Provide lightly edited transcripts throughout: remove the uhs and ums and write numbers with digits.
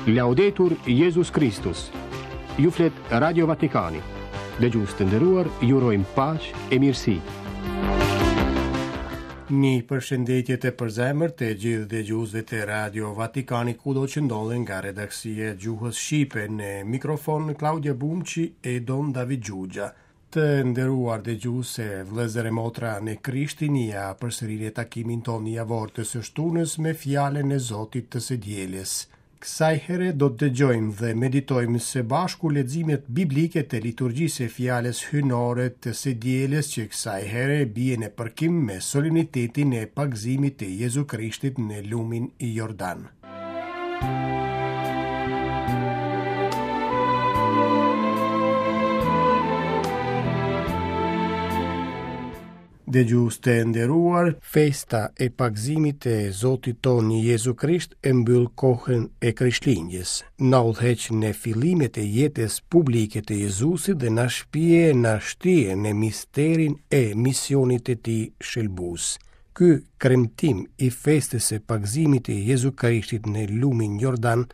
Laudetur Jezus Kristus. Ju flet Radio Vatikani. Dëgjues të nderuar, ju urojmë paqe e mirësi. Një përshëndetje të përzemërt të gjithë dëgjuesve të Radio Vatikani kudo që ndodhen nga redaksia e gjuhës shqipe në mikrofon Klaudia Bumçi e Don David Xhuxha. Të nderuar dëgjues e vëllezër e motra në Krishtin, ja përsëri në takimin tonë javor të së shtunës me fjalën e Zotit të së dielës. Kësaj here do të dëgjojmë dhe meditojmë së bashku leximet biblike të liturgjisë së fjalës hyjnore të së dielës që kësaj here bie në përkim me solemnitetin e pagëzimit të Jezu Krishtit në lumin Jordan. Dëgjues të nderuar, festa e pagëzimit të Zotit tonë Jezu Krisht e mbyll kohën e Krishtlindjes. Na udhëheq në fillimet e jetës publike të Jezusit dhe na shpie na shtie në misterin e misionit të tij shëlbues. Ky kremtim i festës së pagëzimit të Jezu Krishtit në lumin Jordan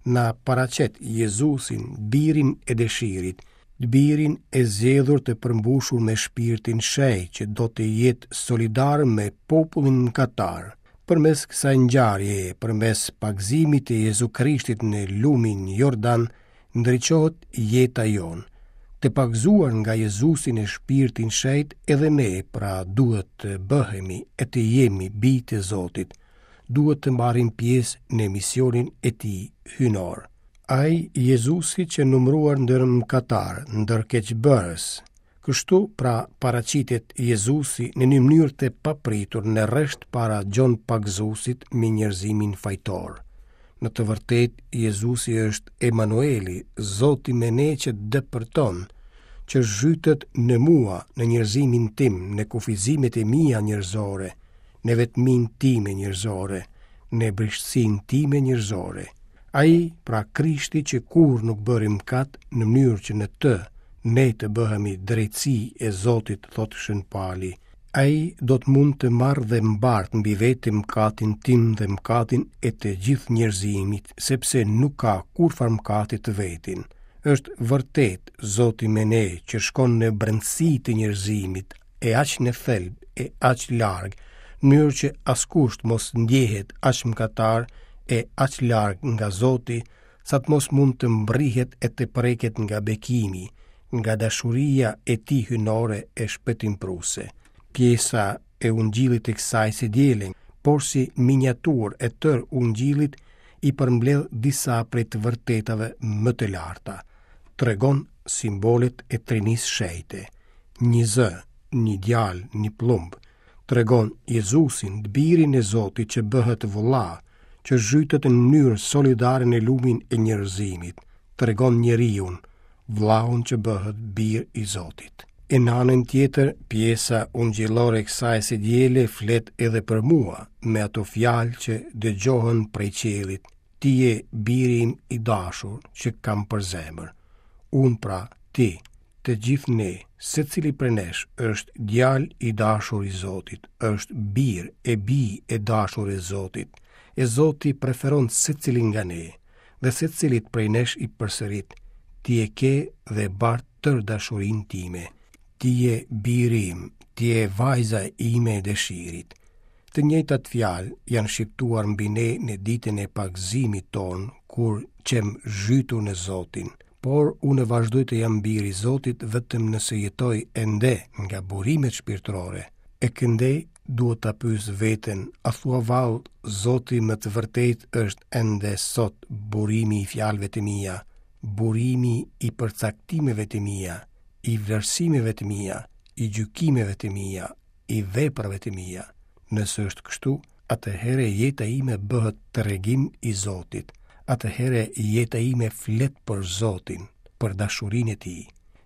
na paraqet Jezusin, birin e dëshirit, birin e zgjedhur të përmbushur me shpirtin shenjt që do të jetë solidar me popullin mëkatar. Përmes kësaj ngjarjeje, përmes pagëzimit të Jezu Krishtit në lumin Jordan, ndriçohet jeta jonë. Të pagëzuar nga Jezusi në shpirtin shenjt edhe ne pra duhet të bëhemi e të jemi bij të Zotit, duhet të marrim pjesë në misionin e tij hyjnor. Ai Jezusi qe numëruar ndër mëkatarë, ndër keqbërës, Kështu, pra, paraqitet Jezusi në një mënyrë të papritur në rresht para Gjon Pagëzuesit me njerëzimin fajtor. Në të vërtetë, Jezusi është Emanueli, Zoti me ne që depërton, që zhytet në mua, në njerëzimin tim, në kufizimet e mia njerëzore, në vetminë time njerëzore, në brishtësinë time njerëzore. Ai, pra Krishti që kurrë nuk bëri mëkat, në mënyrë që në të ne të bëhemi drejtësi e Zotit, thotë Shën Pali. Ai do të mund të marrë dhe mbartë mbi vete mëkatin tim dhe mëkatin e të gjithë njerëzimit, sepse nuk ka kurrfarë mëkati të vetin. Është vërtet Zoti me ne që shkon në brendësi të njerëzimit, e aq në thelb e aq larg, në mënyrë që askush të mos ndjehet aq mëkatar e aq larg nga Zoti, sa të mos mund të mbrrihet e të preket nga bekimi, nga dashuria e tij hyjnore e shpëtimprurëse. Pjesa e Ungjillit të kësaj së diele, porsi miniaturë e tërë Ungjillit, i përmbledh disa prej të vërtetave më të larta. Tregon simbolet e Trinisë Shenjte. Një zë, një djalë, një pëllumb, tregon Jezusin, të birin e Zotit që bëhet vëlla, që zhytet në mënyrë solidare në lumin e njerëzimit, tregon njeriun, vëllaun që bëhet bir i Zotit. E në anën tjetër, pjesa ungjillore e kësaj së diele flet edhe për mua, me ato fjalë që dëgjohen prej qiellit, ti je biri im i dashur që kam për zemër. Unë pra, ti, të gjithë ne, secili prej nesh është djalë i dashur i Zotit, është bir e bijë e dashur e Zotit, e Zoti preferon secilin nga ne, dhe secilit prej nesh i përsërit, ti e ke dhe bart tërë dashurinë time, ti je biri im, ti je vajza ime e dëshirit. Të njëjtat fjalë janë shqiptuar mbi ne në ditën e pagëzimit tonë, kur qemë zhytur në Zotin, por unë vazhdoj të jam bir i Zotit vetëm nëse jetoj ende nga burimet shpirtërore. E këndej duhet ta pyes veten, a thua vallë Zoti me të vërtetë është ende sot burimi i fjalëve të mia, burimi i përcaktimeve të mia, i vlerësimeve të mia, i gjykimeve të mia, i veprave të mia. Nëse është kështu, atëherë jeta ime bëhet tregim i Zotit. Atëherë jeta ime flet për Zotin, për dashurinë e Tij.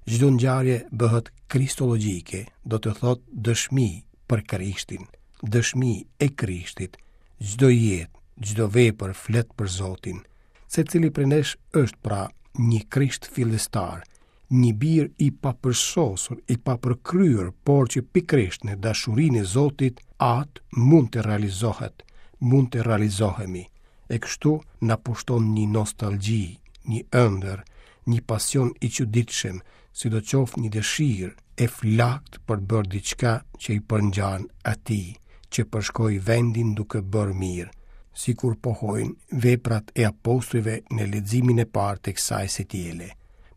Çdo ngjarje bëhet kristologjike, do të thotë dëshmi për Krishtin, dëshmi e Krishtit. Çdo jetë, çdo vepër flet për Zotin. Secili prej nesh është pra një Krisht fillestar, një bir i papërsosur, i papërkryer, por që pikërisht në dashurinë e Zotit Atë mund të realizohet, mund të realizohemi. E kështu na pushton një nostalgji, një ëndërr, një pasion i çuditshëm, sidoqoftë një dëshirë e flaktë për të bërë diçka që i përngjan atij, që përshkoi vendin duke bërë mirë, sikur pohojnë veprat e apostujve në leximin e parë të kësaj së diele.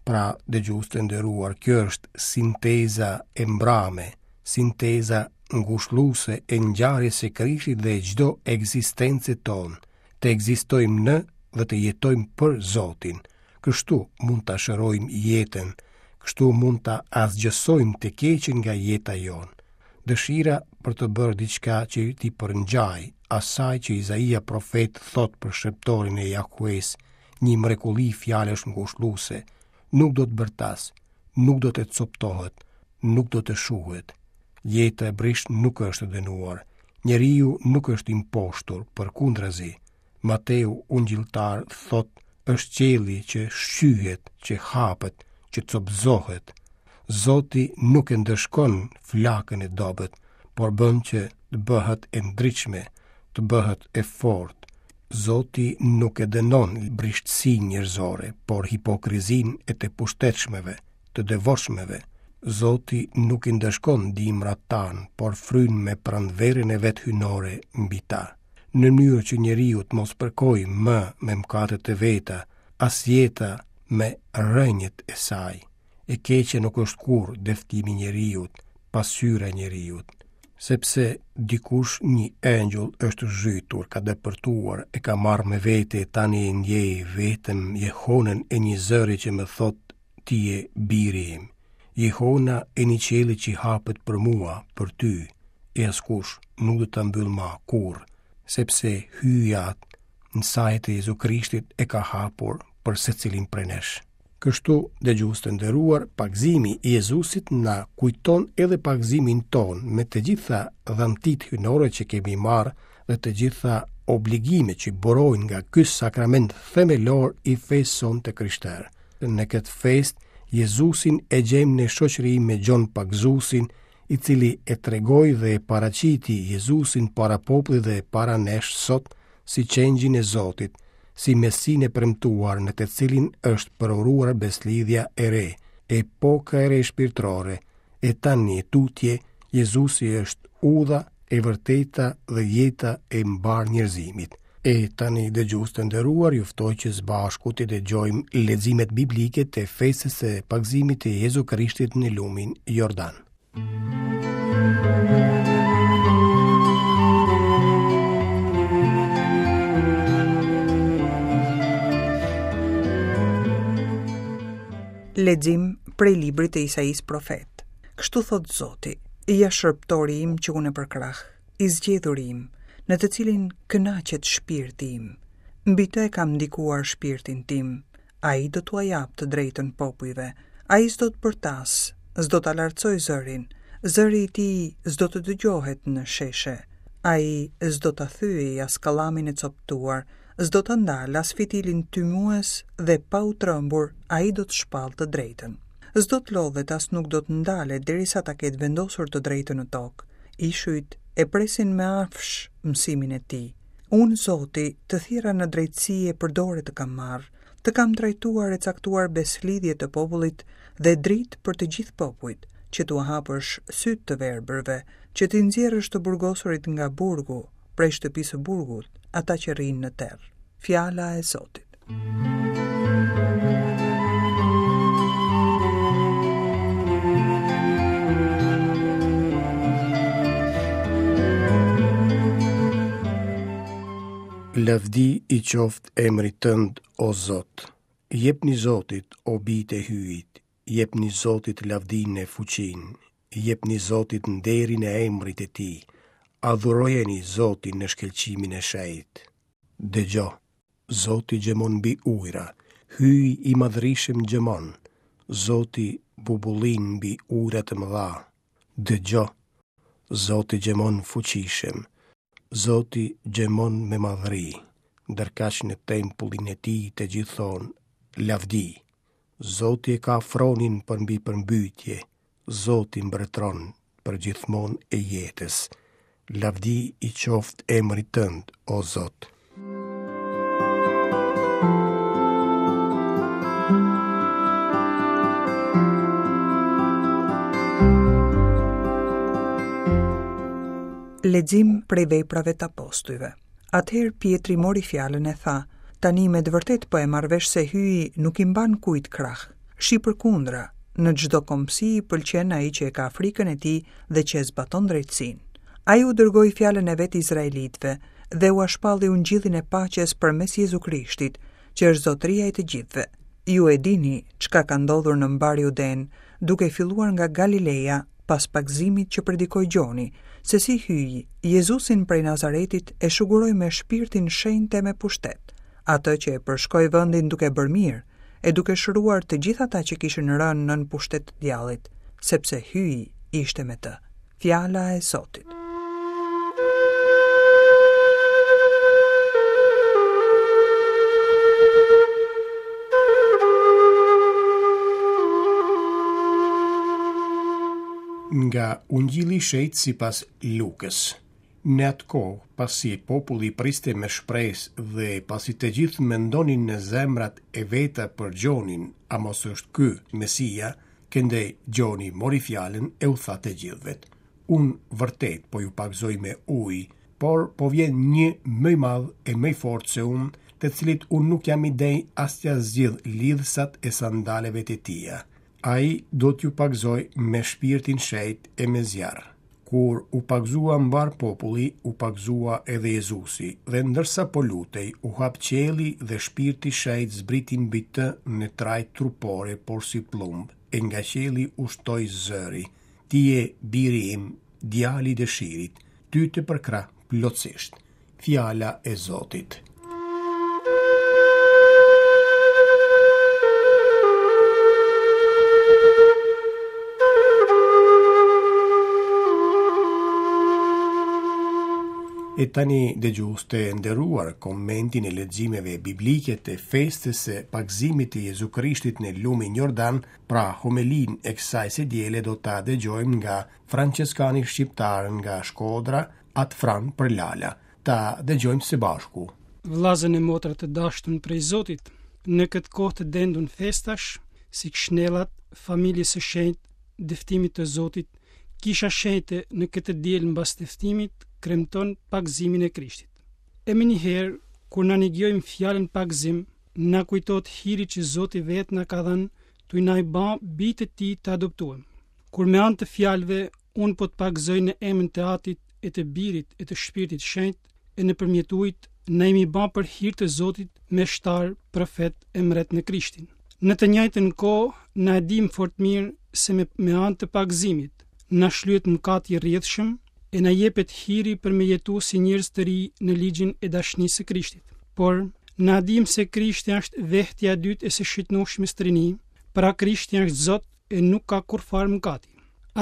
Pra, dëgjues të nderuar, kjo është sinteza e mbrame, sinteza ngushëlluese e ngjarjes së Krishtit dhe çdo ekzistence tonë, të ekzistojmë në dhe të jetojmë për Zotin. Kështu mund ta shërojmë jetën, kështu mund ta asgjësojmë të keqen nga jeta jonë. Dëshira për të bërë diçka që t'i përngjajë asaj që Izaia profet thotë për shërbëtorin e Jahves, një mrekulli fjalësh ngushëlluese, nuk do të bërtasë, nuk do të copëtohet, nuk do të shuhet. Jeta e brishtë nuk është e dënuar. Njeriu nuk është i mposhtur, përkundrazi. Mateu ungjilltar thotë është qielli që shqyhet, që hapet, që copëzohet. Zoti nuk e ndëshkon flakën e dobët, por bën që të bëhet e ndritshme, të bëhet e fortë. Zoti nuk e dënon brishtësinë njerëzore, por hipokrizinë e të pushtetshmeve, të devotshmeve. Zoti nuk i ndëshkon dimrat tanë, por fryn me pranverën e vet hyjnore mbi ta. Në mënyrë që njeriu të mos përkojë më me mëkatet e veta, as jeta me rrënjët e saj. E keqja nuk është kurrë dëftimi i njeriut, pasqyra e njeriut. Sepse dikush një engjëll është zhytur, ka depërtuar, e ka marrë me vete e tani e ndjej vetëm jehonën e një zëri që më thotë ti je biri im. Jehona e një qielli që hapet për mua, për ty, e askush nuk do ta mbyllë ma kurrë, sepse Hyji Atë në saje të Jezu Krishtit e ka hapur për secilin prej nesh. Kështu, dëgjues të nderuar, pagëzimi i Jezusit na kujton edhe pagëzimin tonë me të gjitha dhuntitë hyjnore që kemi marrë dhe të gjitha obligimet që burojnë nga ky sakrament themelor i fesë sonë të krishterë. Në këtë festë, Jezusin e gjejmë në shoqëri me Gjon Pagëzuesin, i cili e tregoi dhe e paraqiti Jezusin para popullit dhe para nesh sot si qengjin e Zotit, si Mesinë e premtuar në të cilin është përuruar besëlidhja e re, epoka e re shpirtërore, e tani e tutje, Jezusi është udha, e vërteta dhe jeta e mbarë njerëzimit. E tani dëgjues të nderuar, ju ftoj që së bashku të dëgjojmë leximet biblike të festës së pagëzimit të Jezu Krishtit në lumin Jordan. Lexim prej librit të Isaisë profet. Kështu thotë Zoti, ja shërbëtori im që unë e përkrah, i zgjedhuri im, në të cilin kënaqet shpirti im. Mbi të e kam ndikuar shpirtin tim, ai do t'ua japë të drejtën popujve, ai s'do të bërtasë, s'do ta lartësojë zërin, zëri i tij s'do të dëgjohet në sheshe. Ai s'do ta thyejë as kallamin e copëtuar, s'do ta ndalë as fitilin tymues dhe pa u trembur ai do të shpallë të drejtën. S'do të lodhet as nuk do të ndalet derisa ta ketë vendosur të drejtën në tokë. Ishujt e presin me afsh mësimin e tij. Unë, Zoti, të thirra në drejtësi e për dore të kam marrë, të kam trajtuar e caktuar besëlidhje të popullit dhe dritë për të gjithë popujt, që t'ua hapësh sytë të verbërve, që t'i nxjerrësh të burgosurit nga burgu, prej shtëpisë së burgut, ata që rrinë në terr. Fjala e Zotit. Lavdi i qoftë emrit tënd, o Zot. Jepni Zotit, o bijtë e Hyjit, jepni Zotit lavdinë e fuqinë, jepni Zotit nderin e emrit të tij, adhurojeni Zotin në shkëlqimin e shenjtë. Dëgjo, Zoti gjëmon mbi ujëra, Hyji i madhërishëm gjëmon, Zoti bubullin mbi ujëra të mëdha. Dëgjo, Zoti gjëmon fuqishëm, Zoti gjëmon me madhëri, ndërkaq në tempullin e tij të gjithë thonë, lavdi. Zoti e ka fronin përmbi përmbytje, Zoti mbretëron përgjithmonë e jetës. Lavdi i qoftë emrit tënd, o Zot. Lexim prej veprave të apostujve. Atëherë Pjetri mori fjalën e tha, tani me të vërtetë po e marr vesh se Hyji nuk i mban kujt krah. Shi përkundra, në çdo kombësi i pëlqen ai që e ka frikën e tij dhe që e zbaton drejtësinë. Ai u dërgoi fjalën e vet izraelitëve dhe ua shpalli ungjillin e paqes përmes Jezu Krishtit, që është zotëria i të gjithëve. Ju e dini çka ka ndodhur në mbarë Judenë, duke filluar nga Galileja pas pagëzimit që predikoi Gjoni, se si Hyji, Jezusin prej Nazaretit e shuguroi me shpirtin shenjt e me pushtet, atë që e përshkoi vendin duke bërë mirë, e duke shëruar të gjithë ata që kishin rënë nën pushtet të djallit, sepse Hyji ishte me të. Fjala e Zotit. Nga Ungjilli i Shenjtë sipas Lukës. Në atë kohë, pasi populli priste me shpresë dhe pasi të gjithë mendonin në zemrat e veta për Gjonin, a mos është ky Mesia, Këndej Gjoni mori fjalën e u tha të gjithëvet, Unë vërtet po ju pagëzoj me ujë, por po vjen një më i madh e më i fortë se unë, të cilit unë nuk jam i denjë as t'ia zgjidh lidhësat e sandaleve të tija. Ai do t'ju pagëzojë me Shpirtin Shenjt e me zjarr. Kur u pagëzua mbarë populli, u pagëzua edhe Jezusi, dhe ndërsa po lutej, u hap qielli dhe Shpirti i Shenjtë zbriti mbi të në trajtë trupore porsi pëllumb, e nga qielli ushtoi zëri, Ti je biri im, djali i dëshirit, ty të përkrah plotësisht. Fjala e Zotit. E tani dëgjues të nderuar komentin e leximeve biblike të festës së pagëzimit të Jezu Krishtit në lumin Jordan, pra homelinë e kësaj së diele do ta dëgjojmë nga françeskani shqiptar nga Shkodra, At Fran Përlala. Ta dëgjojmë së bashku. Vllazën e motra të dashtun prej Zotit, në këtë kohë të dendun festash, si kshnellat, familjes së shenjtë, dëftimit të Zotit, Kisha Shenjte në këtë diel mbas dëftimit kremton pagëzimin e Krishtit. E menjëherë, kur na nigjojmë fjalën pagëzim, na kujtohet hiri që Zoti vetë na ka dhënë tuj na i ba bij të tij të adoptuem. Kur me anë të fjalëve unë po të pagëzoj në emën të Atit e të Birit e të Shpirtit Shenjt e nëpërmjet ujit, na jemi ba për hir të Zotit meshtar, profet e mret në Krishtin. Në të njëjtën kohë, na e dimë fort mirë se me, me anë të pagëzimit, na shlyhet mëkati i rrjedhshëm e na jepet hiri për me jetu si njerëz të ri në ligjin e dashnisë së Krishtit. Por, na dimë se Krishti është vehtja e dytë e së shitnoshmes trini, pra Krishti është Zot e nuk ka kurrfarë mëkati.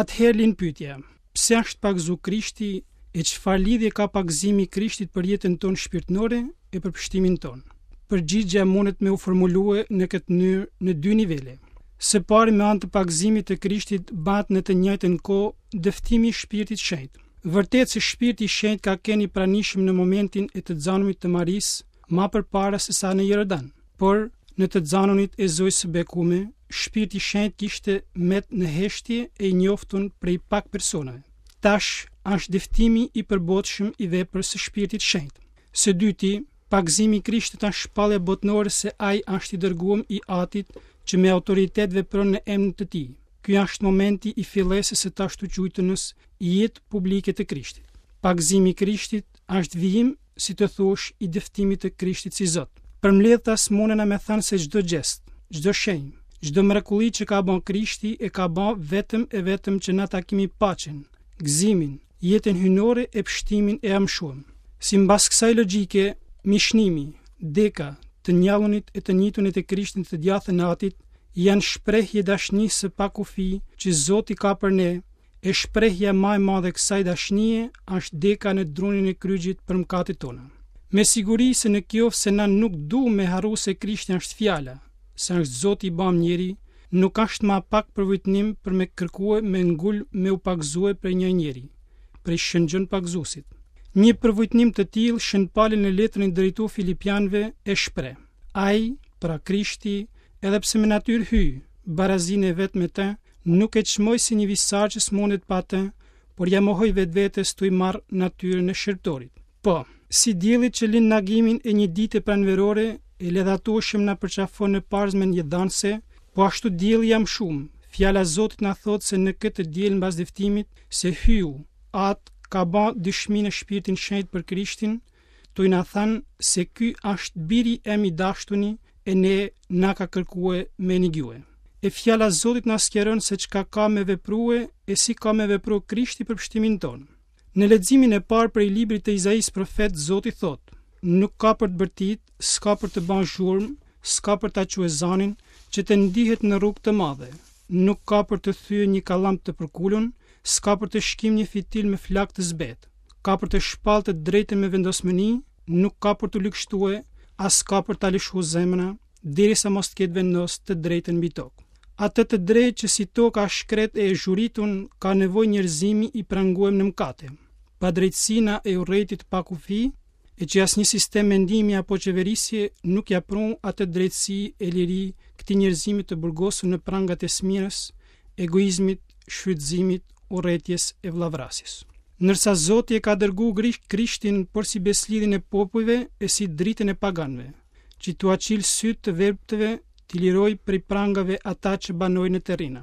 Atëherë lind pyetja, pse është pagëzu Krishti e çfarë lidhje ka pagëzimi i Krishtit për jetën tonë shpirtnore e për pështimin tonë? Përgjigja mundet me u formulue në këtë mënyrë në dy nivele. Së pari me anë të pagëzimit të Krishtit bahet në të njëjtën kohë dëftimi i Shpirtit Shenjt. Vërtet se Shpirti i Shenjt ka qenë i pranishëm në momentin e të xanunit të Marisë, ma përpara se sa në Jordan. Por, në të xanunit e Zojës së Bekume, Shpirti i Shenjt kishte met në heshtje e i njoftun prej pak personave. Tash është dëftimi i përbotshëm i veprës së Shpirtit Shenjt. Së dyti, pagëzimi i Krishtit është shpallja botnore se ai është i dërguem i Atit që me autoritet vepron në emër të tij. Ky është momenti i fillesës së t'ashtuquajtunës jetë publike të Krishtit. Pagëzimi i Krishtit është vijim si të thuash, i dëftimit të Krishtit si Zot. Përmbledhtas munena me thanë se çdo gjest, çdo shenjë, çdo mrekulli që ka ba Krishti e ka ba vetëm e vetëm që na ta kimi paqen, gëzimin, jetën hyjnore e pështimin e amshuem. Simbas kësaj logjike, mishnimi, deka, të njallunit e të njitunit e Krishtit në të djathtën e Atit, janë shprehje dashnisë së pakufi që Zoti ka për ne E shprehja ma e madhe e kësaj dashnie është deka në drunin e kryqit për mëkatet tona. Me siguri se në kjoftë se na nuk du me harru se Krishti është fjala, se është Zoti i bamë njeri, nuk është ma pak përvujtnim për me kërkue me ngulm me u pagëzue prej një njeri, prej Shën Gjon Pagëzuesit. Një përvujtnim të tillë Shën Pali në letrën drejtu Filipianëve e shpreh. Ai, pra Krishti, edhe pse me natyrë Hyj, barazinë e vet me të, Nuk e çmoi si një visar që s'mundet pa të, por ia mohoi vetvetes tuj marrë natyrën e shërbëtorit. Po, si dielli që lind në agimin e një dite pranverore e ledhatueshëm na përqafon në parzmen jetëdhanëse, po ashtu dielli i amshumë, fjala e Zotit na thotë se në këtë të diel mbas dëftimit, se Hyu, At, ka ba dëshmi në Shpirtin Shenjt për Krishtin, tuj na thanë se ky asht biri em i dashtuni e ne na ka kërkue me nigjue. E fjala e Zotit na sqaron se çka ka me veprue e si ka me vepru Krishti për pështimin tonë. Në leximin e parë prej librit të Izaisë profet Zoti thotë, Nuk ka për të bërtit, s'ka për të ba zhurmë, s'ka për ta çue zanin, që të ndihet në rrugë të madhe. Nuk ka për të thye një kallam të përkulun, s'ka për të shkim një fitil me flakë të zbetë. Ka për të shpallë të drejtën me vendosmëni, nuk ka për t'u ligështue, as s'ka për ta lëshu zemra, derisa mos të ketë vendos të drejtën mbi tokë. Atë të drejtë që si toka e shkretë e e zhuritun ka nevojë njerëzimi i pranguem në mkate, padrejtësina e urrejtje të pakufi, e që asnjë sistem mendimi apo qeverisje nuk ia prun atë drejtësi e liri këtij njerëzimi të burgosur në prangat e smirës, egoizmit, shfrytëzimit, urrejtjes e vëllavrasjes. Ndërsa Zoti e ka dërgu Krishtin porsi besëlidhjen e popujve e si dritën e paganëve, që t'ua çilë sytë të verbëtve, t'i lirojë prej prangave ata që banojnë në terrina.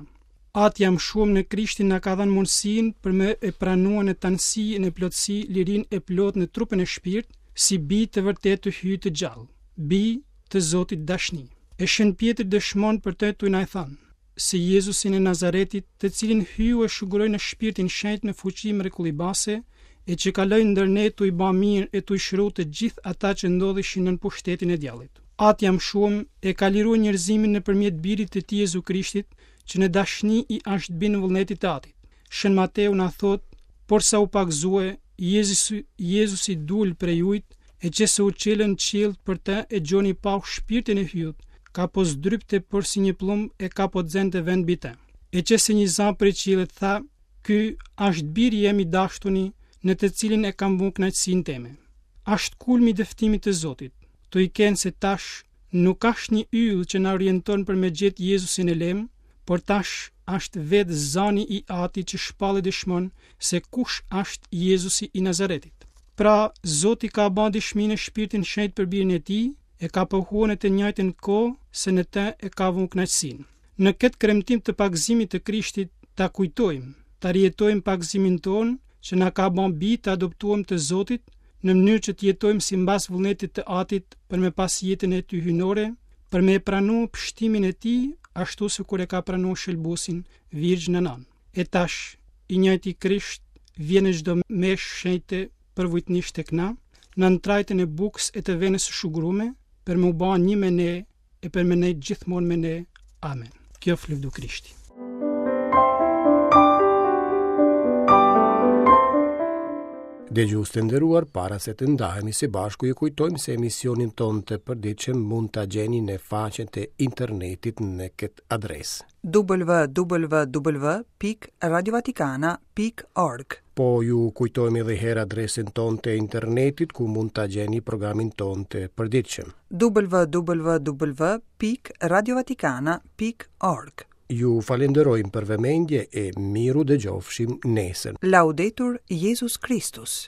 Ati i amshuem në Krishtin na ka dhënë mundësinë për me e pranue në tanësi e në plotësi lirinë e plotë në trupën e shpirt, si bij të vërtetë të Hyjit të gjallë, bij të Zotit dashni. E Shën Pjetri dëshmon për të tuj na e thanë, se Jezusin e Nazaretit, të cilin Hyu e shuguroi në Shpirtin Shenjt me fuqi mrekullibase, e që kaloi ndër ne tuj ba mirë e tuj shëru të gjithë ata që ndodheshin nën pushtetin e djallit. Ati i amshuem e ka lirue njerëzimin nëpërmjet Birit të tij Jezu Krishtit, që në dashni i asht bind vullnetit të Atit. Shën Mateu na thotë, Porsa u pagëzue, Jezusi, Jezusi dul prej ujit, e qe se u çelën qiellt për të e Gjoni pau shpirtin e Hyut, ka po zdrypte porsi një pllumb e ka po xente vend mbi të. E qe se një za prej qiellit tha, Ky asht biri jem i dashtuni, në të cilin e kam vu kënaqësinë teme. Asht kulmi i dëftimit të Zotit, tuj kenë se tash nuk asht një yll që na orienton për me gjetë Jezusin e lemë, por tash asht vetë zani i Atit që shpall e dëshmon se kush asht Jezusi i Nazaretit. Pra, Zoti ka ba dëshmi në Shpirtin Shenjt për Birin e Tij, e ka pohue në të njëjtën kohë se në të e ka vu kënaqësinë. Në këtë kremtim të pagëzimit të Krishtit, ta kujtojmë, ta rijetojmë pagëzimin tonë, që na ka ba bij të adoptuem të Zotit, në mënyrë që të jetojmë simbas vullnetit të Atit për me pas jetën e tij hyjnore, për me e pranu pështimin e tij, ashtu sikur e ka pranu Shëlbuesin Virgjna Nanë. E tash, i njëjti Krisht vjen në çdo meshë shenjte përvujtnisht tek na, nën trajtën e bukës e të venës së shugurume, për me u ba një me ne e për me nejtë gjithmonë me ne. Amen. Kjoft lëvdu Krishti. Dëgjues të nderuar, para se të ndahemi së bashku, ju kujtojmë se emisionin tonë të përditshëm mund ta gjeni në faqen e internetit në këtë adresë. www.radiovatikana.org Po ju kujtojmë edhe herë adresën tonë të internetit ku mund ta gjeni programin tonë të përditshëm. www.radiovatikana.org Ju falenderojmë për vëmendje e mirudëgjofshim nesër. Laudetur Jezus Kristus.